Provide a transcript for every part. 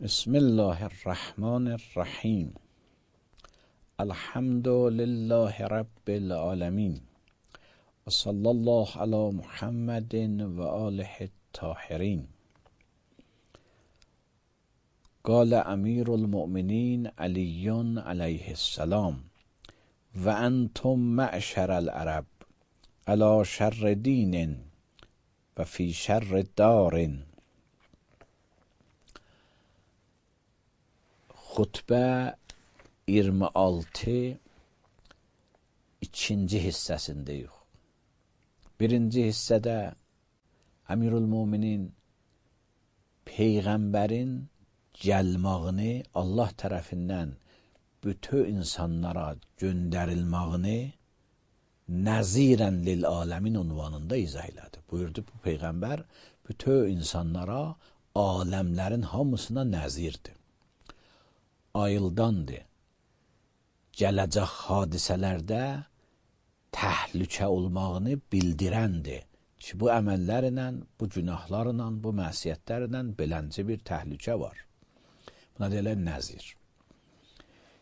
بسم الله الرحمن الرحیم. الحمد لله رب العالمین و صلی الله علی محمد و آله الطاهرین. قال امیر المؤمنین علی علیه السلام: و انتم معشر العرب علی شر دین و فی شر دار. Xutbə 26 ikinci hissəsindəyik. Birinci hissədə Əmirül-Müminin Peyğəmbərin gəlmağını, Allah tərəfindən bütün insanlara göndərilmağını nəzirən lil aləmin unvanında izah elədi. Buyurdu, bu Peyğəmbər bütün insanlara, aləmlərin hamısına nəzirdir. Ayıldandır. Gələcək hadisələrdə təhlükə olmağını bildirəndir ki, bu əməllərlə, bu günahlarla, bu məsiyyətlərlə beləncə bir təhlükə var. Buna deyilər nəzir.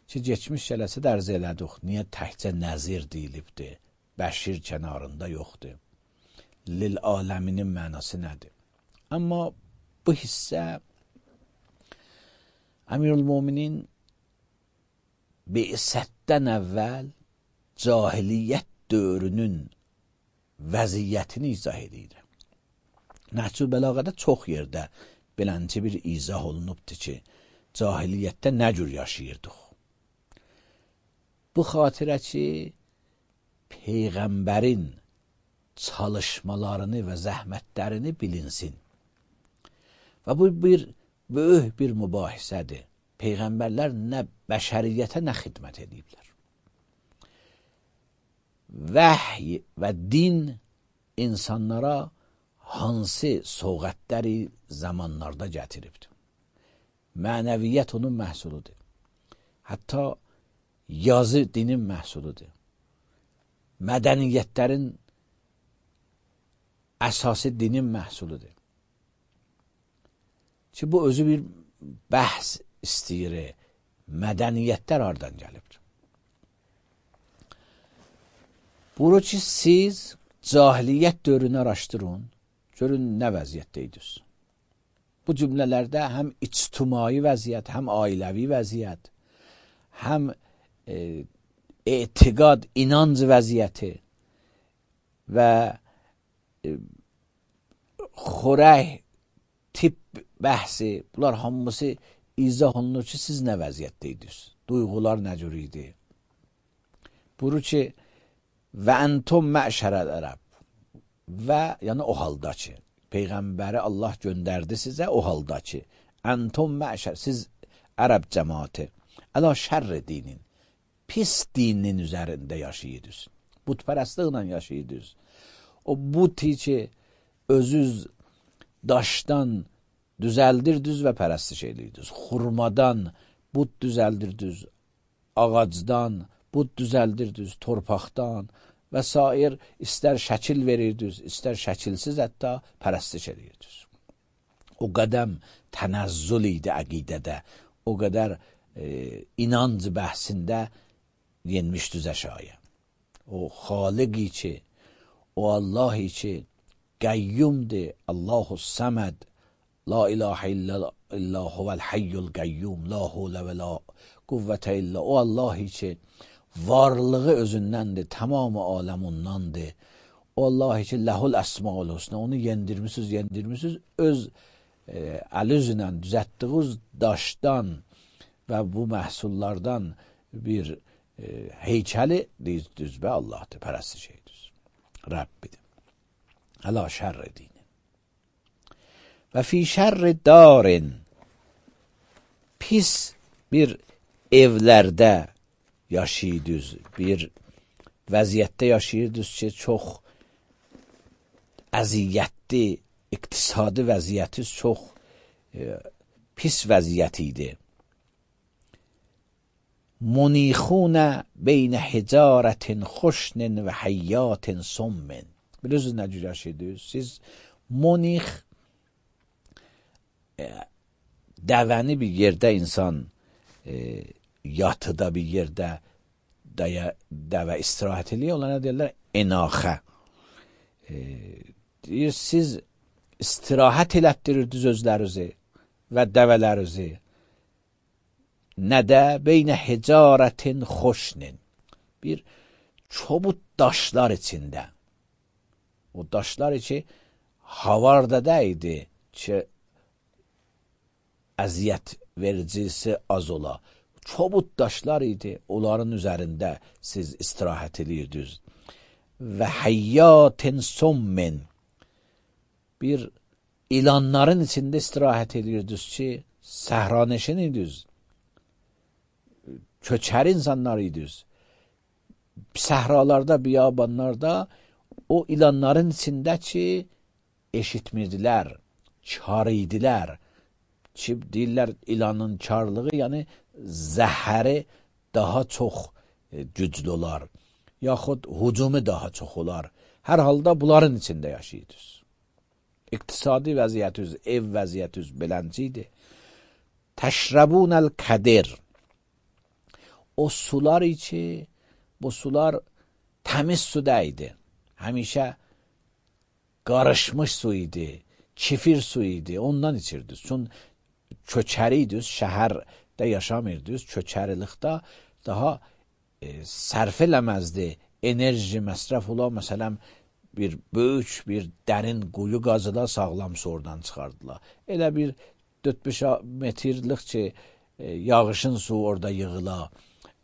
Ki, geçmiş gələsə də ərz elədik, niyə təkcə nəzir deyilibdir, bəşir kənarında yoxdur. Lil aləminin mənası nədir? Amma bu hissə Əmirül-Müminin Bi'sətdən əvvəl cahiliyyət dövrünün vəziyyətini izah edir. Nəhcü Bəlağədə çox yerdə beləncə bir izah olunubdur ki, cahiliyyətdə nə cür yaşayırdıq. Bu xatirə ki, Peyğəmbərin çalışmalarını və zəhmətlərini bilinsin. Və bu bir böyük bir mübahisədir. Peyğəmbərlər nə bəşəriyyətə nə xidmət ediblər. Vəhy və din insanlara hansı soğətləri zamanlarda gətiribdir. Mənəviyyət onun məhsuludur. Hətta yazı dinin məhsuludur. Mədəniyyətlərin əsası dinin məhsuludur. Ki, bu özü bir bəhs istəyir. Mədəniyyətlər hardan gəlibdir? Bunu ki, siz cahiliyyət dövrünü araşdırın, görün nə vəziyyətdəydiniz. Bu cümlələrdə həm ictimai vəziyyət, həm ailəvi vəziyyət, həm etiqad, inanc vəziyyəti və xörək, tip bəhsi, bunlar hamısı izah olunur ki, siz nə vəziyyətdəydiniz? Duyğular nə cür idi? Buyurur ki, və entum məşərəl ərəb, və yəni o halda ki, Peyğəmbəri Allah göndərdi sizə o halda ki, entum məşər, siz ərəb cəmaati, əla şərr dinin, pis dinin üzərində yaşayırdınız. Butpərəstliklə yaşayırdınız. O buti ki, özünüz daşdan düzəldirdiniz və pərəstiş edirdiniz. Xurmadan but düzəldirdiniz, ağacdan but düzəldirdiniz, torpaqdan və s. İstər şəkil verirdiniz, istər şəkilsiz hətta pərəstiş edirdiniz. O qədəm tənəzzül idi əqidədə, o qədər inanc bəhsində yenmişdüz əşaya. O xaliqi ki, o Allahi ki, qəyyumdir, Allahu səməd, la ilahə illə huvəl hayyul qəyyum, la hulə və la quvvətə illə. O Allahi ki, varlığı özündəndir, tamamı aləm ondandır. O Allahi ki, ləhul əsmaul husna, onu yendirmişsiniz, öz əl-üzlə düzətdiyiniz daşdan və bu məhsullardan bir heykəli deyirsiniz və Allahdır, pərəstiş edirsiniz. Rəbbidir. Əla şərr dinin. Və fi şərr darin, pis bir evlərdə yaşayırdınız, bir vəziyyətdə yaşayırdınız ki, çox əziyyətli, iqtisadi vəziyyətiz çox pis vəziyyət idi. Munixunə beynə hicarətin xoşnin və həyyatin sommin. Bilirsiniz nə cür yaşayırdınız? Siz monix dəvəni bir yerdə insan yatıda bir yerdə dəvə istirahət eləyir, onlara deyirlər enaxə. Deyir, siz istirahət elətdirirdiniz özlərinizi və dəvələrinizi. Nədə beynə hicarətin xoşnin, bir çobut daşlar içində. O daşlar içi havarda deydi ki, əziyyət vericisi az ola. Çobut daşlar idi, onların üzərində siz istirahət edirdiniz. Və həyyatin sommin, bir ilanların içində istirahət edirdiniz ki, səhraneşin idiniz. Köçər insanlar idiniz. Səhralarda, biyabanlarda o ilanların içində ki, eşitmirdilər, kar idilər. Ki, deyirlər, ilanın karlığı, yəni zəhəri daha çox güclü olar. Yaxud hücumu daha çox olar. Hər halda bunların içində yaşayırdınız. İqtisadi vəziyyətiniz, ev vəziyyətiniz belənci idi. Təşrəbunəl kədir. O sular içi, bu sular təmiz su deydi. Həmişə qarışmış su idi, kifir su idi, ondan içirdiniz. Çünki köçəriydiniz, şəhərdə yaşamırdınız, köçərilikdə daha sərf eləməzdi, enerji məsrəf ola, məsələn, bir böyük, bir dərin quyu qazıla, sağlam su oradan çıxardılar. Elə bir 4-5 metrlik ki, yağışın su orada yığıla,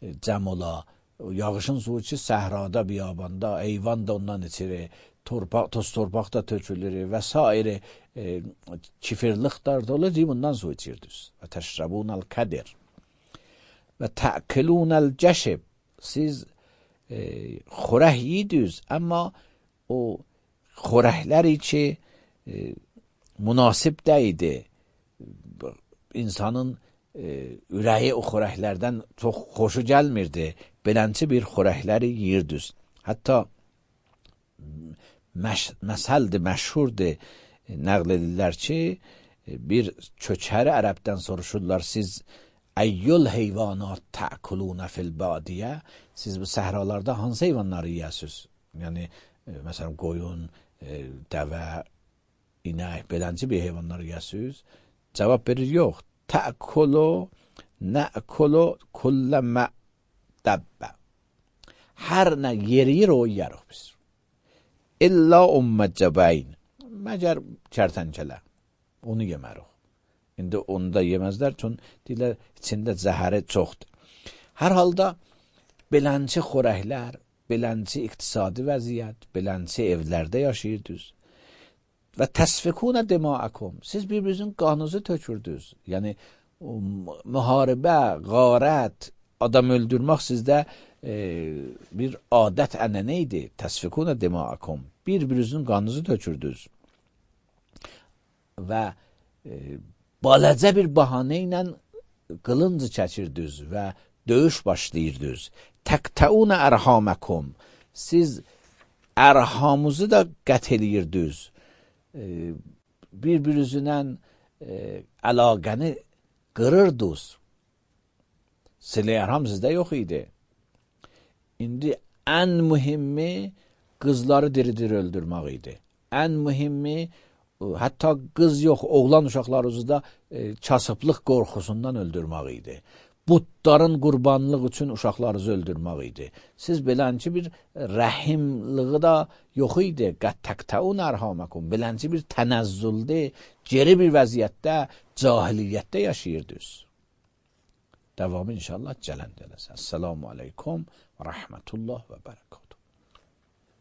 cəm ola, yağışın suyu ki, səhrada, biyabanda, eyvan da ondan içirir, toz torpaq da tökülür və s. Kifirliklər də olur, bundan su içirdiniz. Və təşrəbunəl kədir. Və tə'kilunəl cəşib. Siz xörək yediniz, amma o xörəkləri ki, münasib deyildi. İnsanın ürəyi o xörəklərdən çox xoşu gəlmirdi. Belənci bir xörəkləri yiyirdiniz. Hətta məsəldir, məşhurdur, nəql edirlər ki, bir köçəri ərəbdən soruşurlar, siz əyyül heyvanat tə'kulunə fil badiyə, siz bu səhralarda hansı heyvanları yiyəsiniz? Yəni, məsələn, qoyun, dəvə, inək, belənci bir heyvanları yiyəsiniz? Cavab verir, yox. Tə'kulu, nə'kulu, kullə mə'dəbbə. Hər nə yeriyir, o yiyərik biz. İlla ümməcəbəyn. Məgər kərtənkələ. Onu yemərik. İndi onu da yeməzlər, çünki deyirlər, içində zəhəri çoxdur. Hər halda belənci xörəklər, belənci iqtisadi vəziyyət, belənci evlərdə yaşayırdınız. Və təsfikunə dimaakum. Siz bir-birinizin qanınızı tökürdünüz. Yəni, müharibə, qarət, adam öldürmək sizdə bir adət ənənə idi. Təsfikunə dimaakum. Bir-birinizin qanınızı tökürdünüz. Və balacə bir bahanə ilə qılıncı çəkirdiniz və döyüş başlayırdınız. Təqtəunə ərhaməkum. Siz ərhamınızı da qət eləyirdiniz. Bir-birinizlə əlaqəni qırırdınız. Silə ərham sizdə yox idi. İndi ən mühimmi qızları diri-diri öldürmək idi. Ən mühimmi hətta qız yox, oğlan uşaqlarınızı da kasıblıq qorxusundan öldürmək idi. Butların qurbanlıq üçün uşaqlarınızı öldürmək idi. Siz belənci bir rəhimliği da yox idi. Qət təqtəun ərhaməkum. Belənci bir tənəzzüldə, geri bir vəziyyətdə, cahiliyyətdə yaşayırdınız. Davamı inşallah cələnd eləsin. Esselamu aleykum və rəhmətullah və bərəkət.